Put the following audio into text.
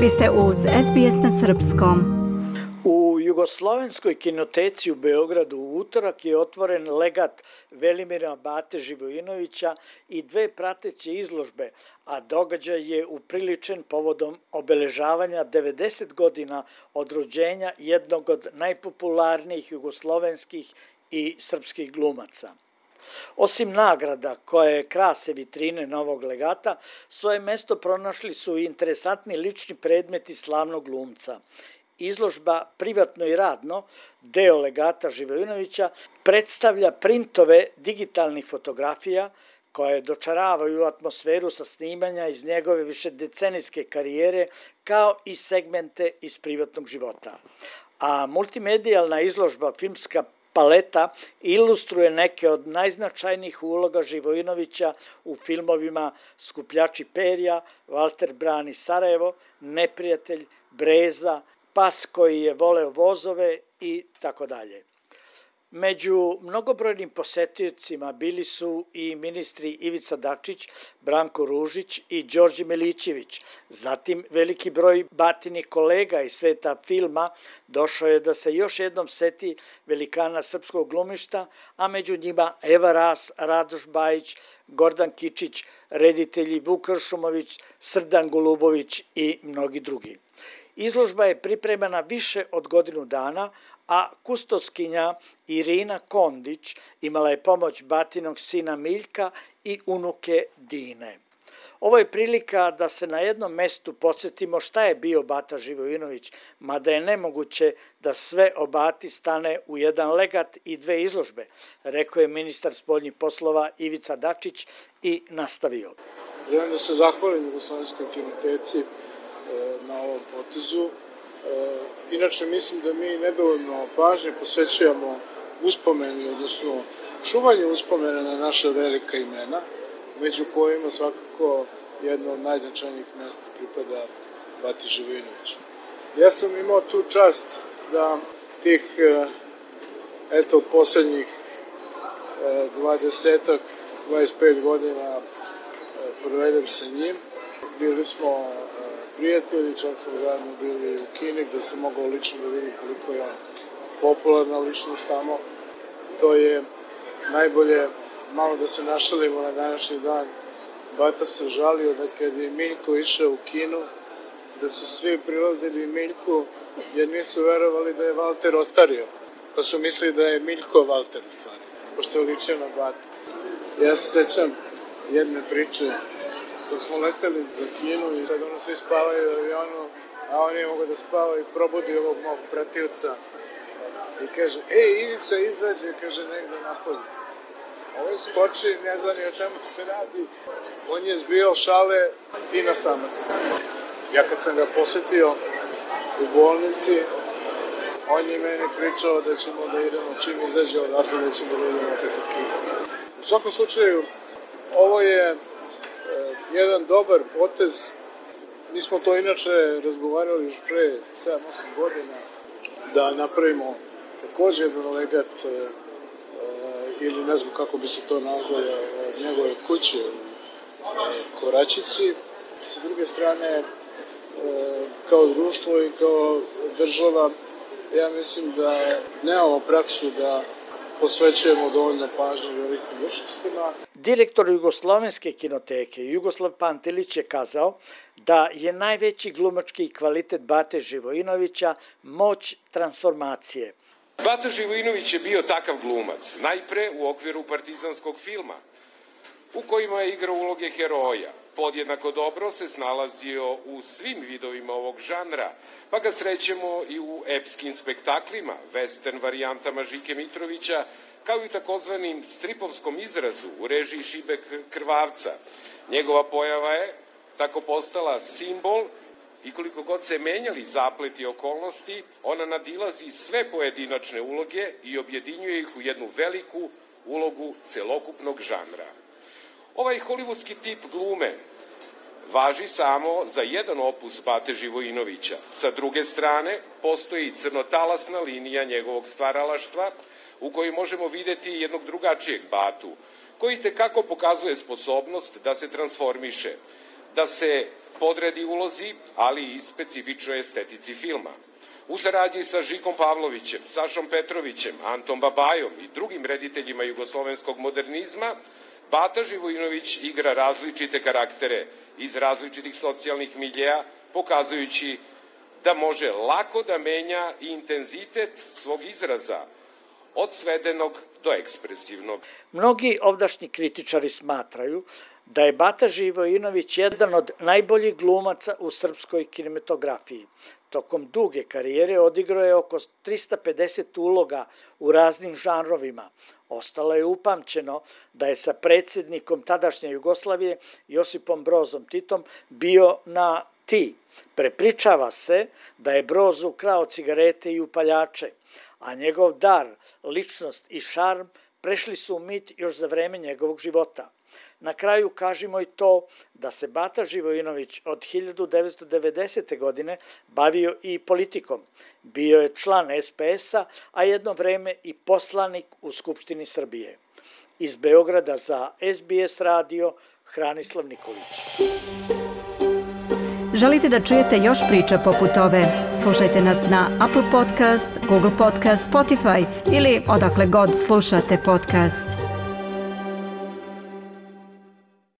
Vi ste uz SBS na srpskom. U Jugoslovenskoj kinoteci u Beogradu u utorak je otvoren legat Velimira Bate Živojinovića i dve prateće izložbe, a događaj je upriličen povodom obeležavanja 90 godina od rođenja jednog od najpopularnijih jugoslovenskih i srpskih glumaca. Osim nagrada koje krase vitrine novog legata, svoje mesto pronašli su i interesantni lični predmeti slavnog glumca. Izložba Privatno i radno, deo legata Živojinovića, predstavlja printove digitalnih fotografija koje dočaravaju atmosferu sa snimanja iz njegove višedecenijske karijere kao i segmente iz privatnog života. A multimedijalna izložba Filmska paleta ilustruje neke od najznačajnijih uloga Živojinovića u filmovima Skupljači perja, Valter brani Sarajevo, Neprijatelj, Breza, Pas koji je voleo vozove i tako dalje. Među mnogobrojnim posetiocima bili su i ministri Ivica Dačić, Branko Ružić i Đorđe Milićević. Zatim veliki broj Batinih kolega iz sveta filma došao je da se još jednom seti velikana srpskog glumišta, a među njima Eva Ras, Radoš Bajić, Gordan Kičić, reditelji Vuk Kršumović, Srdan Golubović i mnogi drugi. Izložba je pripremana više od godinu dana, a kustoskinja Irina Kondić imala je pomoć Batinog sina Miljka i unuke Dine. Ovo je prilika da se na jednom mestu podsjetimo šta je bio Bata Živojinović, mada je nemoguće da sve o Bati stane u jedan legat i dve izložbe, rekao je ministar spoljnih poslova Ivica Dačić i nastavio. Želim da se zahvalim Jugoslovenskoj kinoteci na ovom potezu. Inače, mislim da mi nedovoljno pažnje posvećujemo uspomeni, odnosno čuvanju uspomena na naša velika imena, među kojima svakako jedno od najznačajnijih mesta pripada Bati Živojinoviću. Ja sam imao tu čast da tih, poslednjih 25 godina provedem sa njim. Bili smo prijatelji, čak smo zajedno bili u Kini, gde sam mogao lično da vidim koliko je on popularna ličnost tamo. To je najbolje, malo da se našalimo na današnji dan. Bata se žalio da kad je Miljko išao u Kinu, da su svi prilazili Miljku jer nisu verovali da je Valter ostario. Pa su mislili da je Miljko Valter u stvari, pošto je ličio na Batu. Ja se sećam jedne priče dok smo leteli za Kinu i sad svi spavaju u avionu, a on nije mogao da spava i probudi ovog mog pratioca i kaže, Ivica izađe, kaže, negde napolje. Ovo je skoči, ne zna ni o čemu se radi, on je zbio šale i na samak. Ja kad sam ga posetio u bolnici, on je meni pričao da ćemo da idemo, čim izađe odatle, da ćemo da idemo opet u Kinu. U svakom slučaju, ovo je jedan dobar potez. Mi smo to inače razgovarali još pre 7-8 godina da napravimo takođe jedan legat ili ne znam kako bi se to nazvalo od njegove kuće u Koračici. Sa druge strane, kao društvo i kao država, ja mislim da nemamo praksu da posvećujemo dovoljno pažnje velikim ličnostima. Direktor Jugoslovenske kinoteke Jugoslav Pantelić je kazao da je najveći glumački kvalitet Bate Živojinovića moć transformacije. Bata Živojinović je bio takav glumac, najpre u okviru partizanskog filma, u kojima je igrao uloge heroja. Podjednako dobro se snalazio u svim vidovima ovog žanra, pa ga srećemo i u epskim spektaklima, western varijantama Žike Mitrovića, kao i u takozvanim stripovskom izrazu u režiji Šibek Krvavca. Njegova pojava je tako postala simbol i koliko god se menjali zapleti okolnosti, ona nadilazi sve pojedinačne uloge i objedinjuje ih u jednu veliku ulogu celokupnog žanra. Ovaj hollywoodski tip glume važi samo za jedan opus Bate Živojinovića. Sa druge strane, postoji crnotalasna linija njegovog stvaralaštva u kojoj možemo videti jednog drugačijeg Batu, koji tekako pokazuje sposobnost da se transformiše, da se podredi ulozi, ali i specifičnoj estetici filma. U saradnji sa Žikom Pavlovićem, Sašom Petrovićem, Antom Babajom i drugim rediteljima jugoslovenskog modernizma, Bata Živojinović igra različite karaktere iz različitih socijalnih miljeja, pokazujući da može lako da menja intenzitet svog izraza, od svedenog do ekspresivnog. Mnogi ovdašnji kritičari smatraju da je Bata Živojinović jedan od najboljih glumaca u srpskoj kinematografiji. Tokom duge karijere odigrao je oko 350 uloga u raznim žanrovima. Ostalo je upamćeno da je sa predsjednikom tadašnje Jugoslavije Josipom Brozom Titom bio na ti. Prepričava se da je Broz ukrao cigarete i upaljače, a njegov dar, ličnost i šarm prešli su u mit još za vreme njegovog života. Na kraju kažimo i to da se Bata Živojinović od 1990. godine bavio i politikom. Bio je član SPS-a, a jedno vreme i poslanik u Skupštini Srbije. Iz Beograda za SBS radio, Hranislav Nikolić. Želite da čujete još priča poput ove? Slušajte nas na Apple Podcast, Google Podcast, Spotify ili odakle god slušate podcast.